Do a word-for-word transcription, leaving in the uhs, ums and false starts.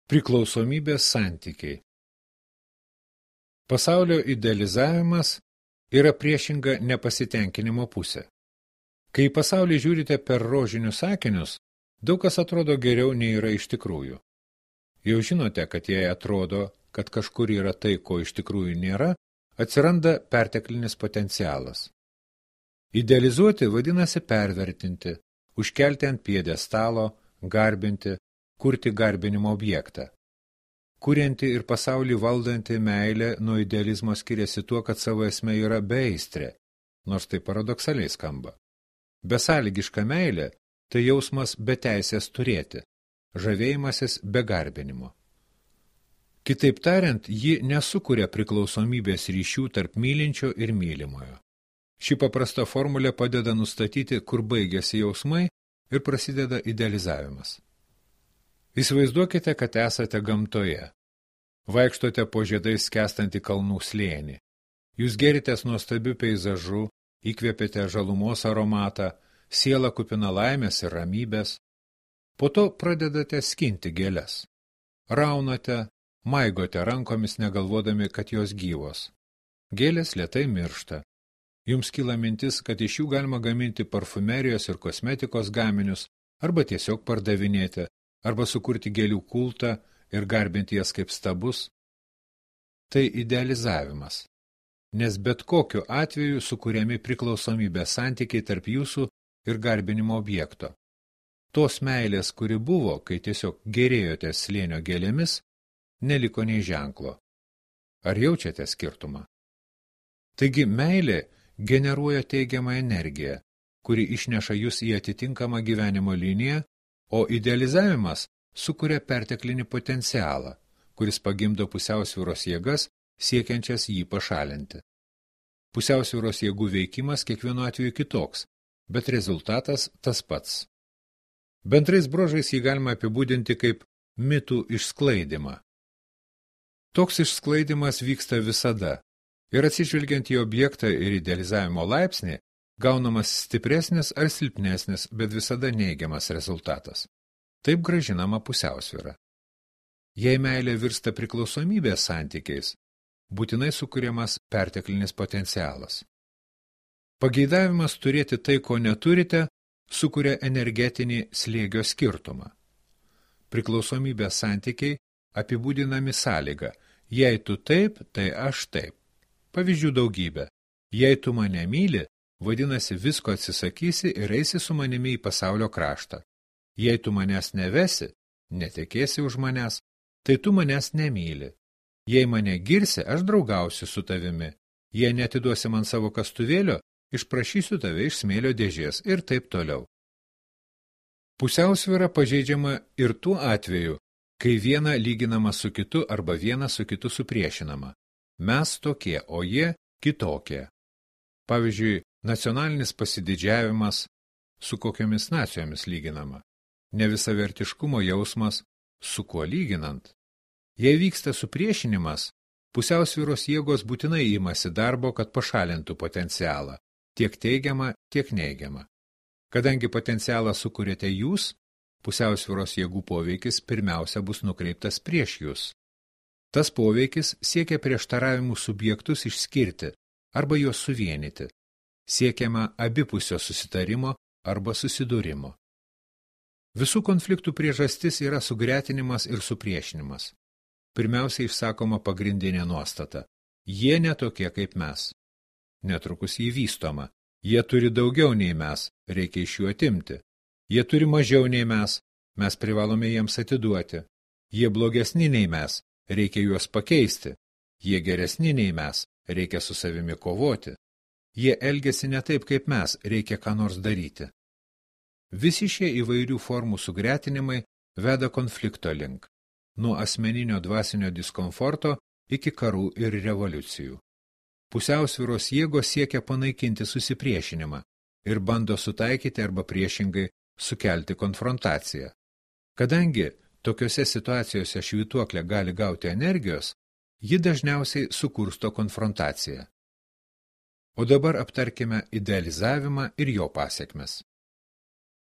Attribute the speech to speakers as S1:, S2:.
S1: Priklausomybės santykiai. Pasaulio idealizavimas yra priešinga nepasitenkinimo pusė. Kai į pasaulį žiūrite per rožinius akinius, daug kas atrodo geriau nei yra iš tikrųjų. Jau žinote, kad jei atrodo, kad kažkur yra tai, ko iš tikrųjų nėra, atsiranda perteklinis potencialas. Idealizuoti vadinasi pervertinti, užkelti ant pjedestalo, garbinti, kurti garbinimo objektą. Kurianti ir pasaulį valdanti meilė nuo idealizmo skiriasi tuo, kad savo esmė yra beaistrė, nors tai paradoksaliai skamba. Besąlygiška meilė – tai jausmas be teisės turėti, žavėjimasis be garbinimo. Kitaip tariant, ji nesukuria priklausomybės ryšių tarp mylinčio ir mylimojo. Ši paprasta formulė padeda nustatyti, kur baigiasi jausmai ir prasideda idealizavimas. Įsivaizduokite, kad esate gamtoje. Vaikštote po žiedais skęstantį kalnų slėnį. Jūs geritės nuostabiu peizažu, įkvėpėte žalumos aromatą, siela kupina laimės ir ramybės. Po to pradedate skinti gėles. Raunate, maigote rankomis negalvodami, kad jos gyvos. Gėlės lėtai miršta. Jums kyla mintis, kad iš jų galima gaminti parfumerijos ir kosmetikos gaminius, arba tiesiog pardavinėti, arba sukurti gėlių kultą ir garbinti jas kaip stabus. Tai idealizavimas, nes bet kokiu atveju sukuriami priklausomybės santykiai tarp jūsų ir garbinimo objekto. Tos meilės, kuri buvo, kai tiesiog gerėjote slėnio gėlėmis, neliko nei ženklo. Ar jaučiate skirtumą? Taigi meilė generuoja teigiamą energiją, kuri išneša jūs į atitinkamą gyvenimo liniją, o idealizavimas sukuria perteklinį potencialą, kuris pagimdo pusiausvyros jėgas, siekiančias jį pašalinti. Pusiausvyros jėgų veikimas kiekvienu atveju kitoks, bet rezultatas tas pats. Bendrais bruožais jį galima apibūdinti kaip mitų išsklaidymą. Toks išsklaidymas vyksta visada, ir atsižvelgiant į objektą ir idealizavimo laipsnį, gaunamas stipresnis ar silpnesnis, bet visada neigiamas rezultatas. Taip grąžinama pusiausvyra. Jei meilė virsta priklausomybės santykiais, būtinai sukuriamas perteklinis potencialas. Pageidavimas turėti tai, ko neturite, sukuria energetinį slėgio skirtumą. Priklausomybės santykiai apibūdinami sąlyga: jei tu taip, tai aš taip. Pavyzdžių daugybė. Jei tu mane myli, vadinasi, visko atsisakysi ir eisi su manimi į pasaulio kraštą. Jei tu manęs nevesi, netekėsi už manęs, tai tu manęs nemyli. Jei mane girsi, aš draugausiu su tavimi. Jei netiduosi man savo kastuvėlio, išprašysiu tave iš smėlio dėžės ir taip toliau. Pusiausvyra pažeidžiama ir tuo atveju, kai viena lyginama su kitu arba viena su kitu supriešinama. Mes tokie, o jie kitokie. Pavyzdžiui, nacionalinis pasididžiavimas su kokiomis nacijomis lyginama. Nevisavertiškumo jausmas su kuo lyginant. Jei vyksta supriešinimas, pusiausvyros jėgos būtinai imasi darbo, kad pašalintų potencialą, tiek teigiamą, tiek neigiamą. Kadangi potencialą sukuriate jūs, pusiausvyros jėgų poveikis pirmiausia bus nukreiptas prieš jūs. Tas poveikis siekia prieštaravimų subjektus išskirti arba juos suvienyti. Siekiama abipusio susitarimo arba susidūrimo. Visų konfliktų priežastis yra sugretinimas ir supriešinimas. Pirmiausia išsakoma pagrindinė nuostata. Jie netokie kaip mes. Netrukus jį vystoma. Jie turi daugiau nei mes, reikia iš jų atimti. Jie turi mažiau nei mes, mes privalome jiems atiduoti. Jie blogesni nei mes, reikia juos pakeisti. Jie geresni nei mes, reikia su savimi kovoti. Jie elgiasi ne taip kaip mes, reikia ką nors daryti. Visi šie įvairių formų sugretinimai veda konflikto link, nuo asmeninio dvasinio diskomforto iki karų ir revoliucijų. Pusiausvyros jėgos siekia panaikinti susipriešinimą ir bando sutaikyti arba priešingai sukelti konfrontaciją. Kadangi tokiose situacijose švytuoklė gali gauti energijos, ji dažniausiai sukursto konfrontaciją. O dabar aptarkime idealizavimą ir jo pasekmes.